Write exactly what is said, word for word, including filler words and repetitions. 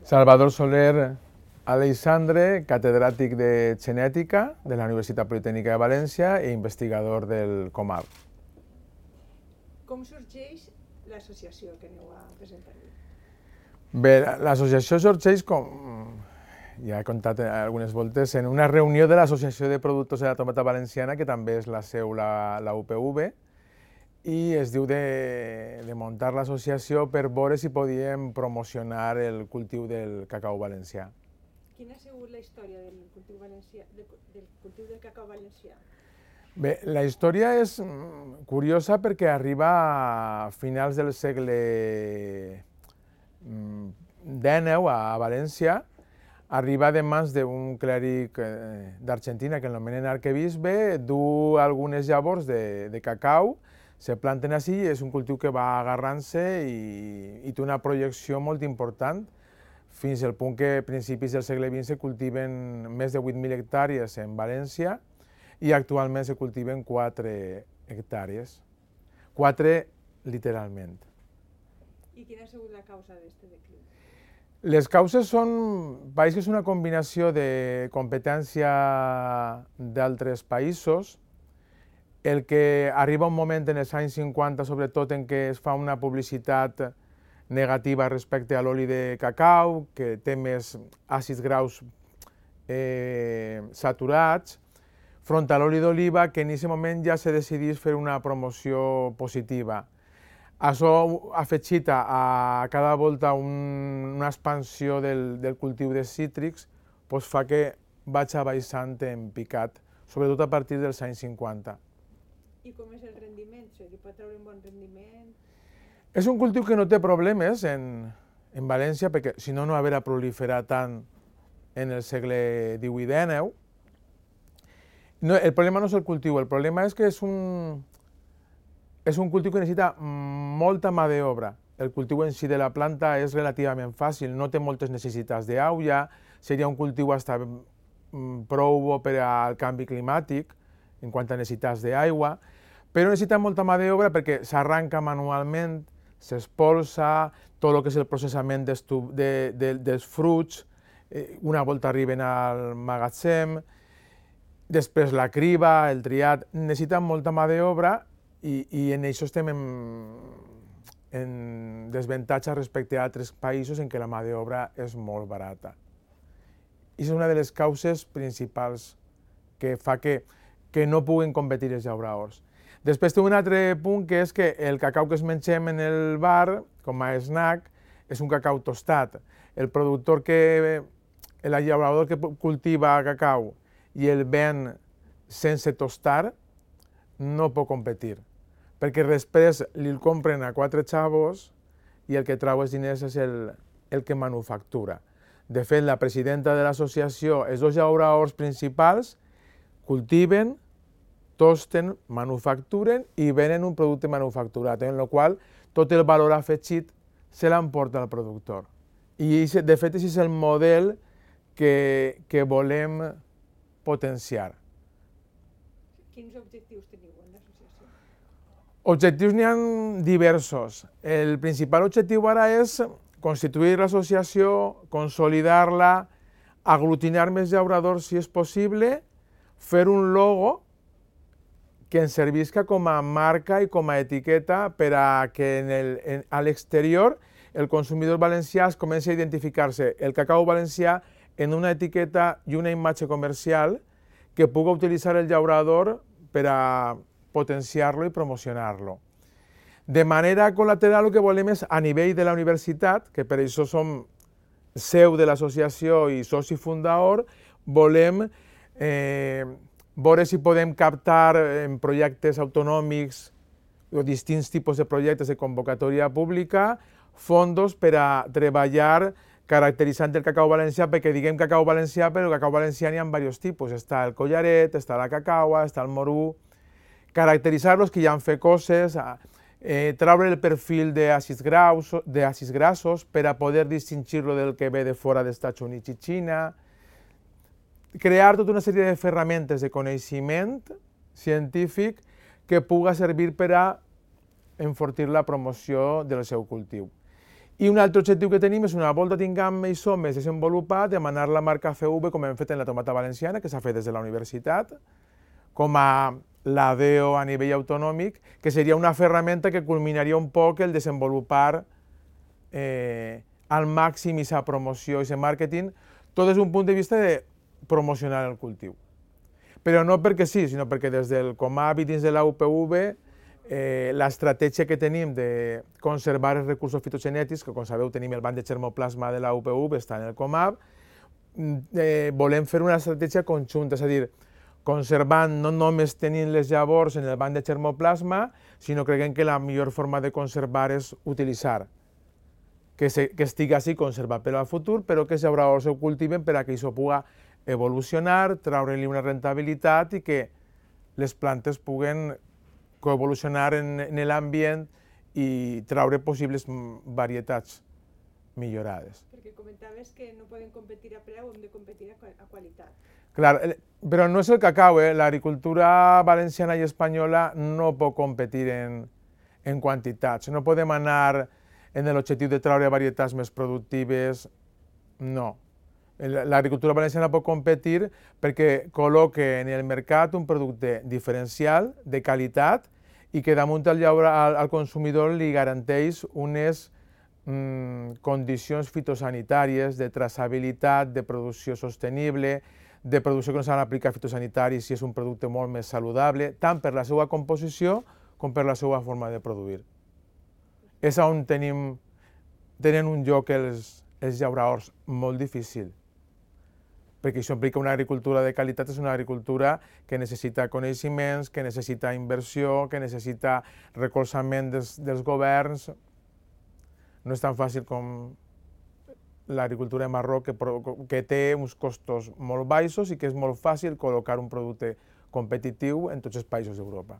Salvador Soler Aleixandre, catedràtic de Genètica de la Universitat Politècnica de València i investigador del Comar. Com sorgeix l'associació que aneu a presentar? Bé, l'associació sorgeix, com ja he contat algunes voltes, en una reunió de l'Associació de Productors de la Tomata Valenciana, que també és la seu la, la U P V, i es diu de, de muntar l'associació per veure si podíem promocionar el cultiu del cacau valencià. Quina ha sigut la història del cultiu, valencià, del, del cultiu del cacau valencià? Bé, la història és curiosa perquè arriba a finals del segle dènou a València, arriba de mans d'un clèric d'Argentina que l'anomenen arquebisbe, du algunes llavors de, de cacau, se planten així i és un cultiu que va agarrant-se i, i té una projecció molt important, fins al punt que a principis del segle vint se cultiven més de vuit mil hectàrees en València i actualment se cultiven quatre hectàrees. quatre literalment. I quina ha sigut la causa d'aquest declivi? Les causes són, pareix que és una combinació de competència d'altres països, el que arriba un moment en els anys cinquanta, sobretot, en què es fa una publicitat negativa respecte a l'oli de cacau, que té més àcids graus eh, saturats, front a l'oli d'oliva, que en aquest moment ja se decidís fer una promoció positiva. Això afegit a cada volta un, una expansió del, del cultiu de cítrics, doncs fa que vaig baixant en picat, sobretot a partir dels anys cinquanta. I com és el rendiment? Se li pot treure un bon rendiment? És un cultiu que no té problemes en, en València, perquè si no, no haurà proliferat tant en el segle divuit dènou. No, el problema no és el cultiu, el problema és que és un, és un cultiu que necessita molta mà d'obra. El cultiu en si de la planta és relativament fàcil, no té moltes necessitats d'aigua, seria un cultiu hasta prou bo per al canvi climàtic en quant a necessitats d'aigua, però necessita molta mà d'obra perquè s'arranca manualment, s'espolsa, tot el que és el processament de, de, dels fruits, eh, una volta arriben al magatzem, després la criba, el triat, necessita molta mà d'obra i, i en això estem en, en desavantatge respecte a altres països en què la mà d'obra és molt barata. I és una de les causes principals que fa que, que no puguin competir els llauradors. Després té un altre punt, que és que el cacau que es mengem en el bar, com a snack, és un cacau tostat. El productor que, el llaurador que cultiva cacau i el ven sense tostar, no pot competir, perquè després li el compren a quatre xavos i el que trau els diners és el, el que manufactura. De fet, la presidenta de l'associació, els dos llauradors principals, cultiven, tosten, manufacturen i venen un producte manufacturat, en el qual tot el valor afegit se l'emporta el productor. I de fet, aquest és el model que, que volem potenciar. Quins objectius teniu en l'associació? Objectius n'hi ha diversos. El principal objectiu ara és constituir l'associació, consolidar-la, aglutinar més llauradors si és possible, fer un logo que ens servisca com a marca i com a etiqueta per a que en el, en, a l'exterior el consumidor valencià es comenci a identificar-se el cacau valencià en una etiqueta i una imatge comercial que pugui utilitzar el llaurador per a potenciar-lo i promocionar-lo. De manera col·lateral, el que volem és, a nivell de la universitat, que per això som seu de l'associació i soci fundador, volem eh, veure si podem captar en projectes autonòmics o distints tipus de projectes de convocatòria pública fondos per a treballar caracteritzant el cacau valencià, perquè diguem cacau valencià, però el cacau valencià n'hi ha diversos tipus. Està el collaret, està la cacaua, està el morú. Caracteritzar-los, que hi ha fet coses, eh, treure el perfil d'àcids grassos per a poder distingir-lo del que ve de fora dels Estats Units i Xina, crear tota una sèrie de ferramentes de coneixement científic que puga servir per a enfortir la promoció del seu cultiu. I un altre objectiu que tenim és, una volta tinguem això més desenvolupat, demanar la marca C V, com hem fet en la tomata valenciana, que s'ha fet des de la universitat, com a la D O a nivell autonòmic, que seria una ferramenta que culminaria un poc el desenvolupar eh, al màxim aquesta promoció, aquest màrqueting, tot des d'un punt de vista de promocionar el cultiu. Però no perquè sí, sinó perquè des del Comab i dins de la U P V eh, l'estratègia que tenim de conservar els recursos fitogenètics, que com sabeu tenim el banc de germoplasma de la U P V, està en el Comab, eh, volem fer una estratègia conjunta, és a dir, conservant no només tenint les llavors en el banc de germoplasma, sinó creiem que la millor forma de conservar és utilitzar, que, se, que estigui així conservat per al futur, però que els llauradors ho cultiven per a que això pugui evolucionar, treure-li una rentabilitat i que les plantes puguen coevolucionar en, en l'ambient i treure possibles varietats millorades. Perquè comentaves que no poden competir a preu, hem de competir a, a qualitat. Clar, però no és el cacau, eh? L'agricultura valenciana i espanyola no pot competir en, en quantitats. No podem anar en l'objectiu de treure varietats més productives, no. L'agricultura valenciana pot competir perquè col·loque en el mercat un producte diferencial, de qualitat, i que damunt al, al, al consumidor li garanteix unes mm, condicions fitosanitàries de traçabilitat, de producció sostenible, de producció que no s'han d'aplicar fitosanitaris si és un producte molt més saludable, tant per la seva composició com per la seva forma de produir. És on tenim, tenen un lloc els, els llauradors molt difícil, perquè això implica una agricultura de qualitat, és una agricultura que necessita coneixements, que necessita inversió, que necessita recolzament dels, dels governs. No és tan fàcil com l'agricultura de Marroc, que, que té uns costos molt baixos i que és molt fàcil col·locar un producte competitiu en tots els països d'Europa.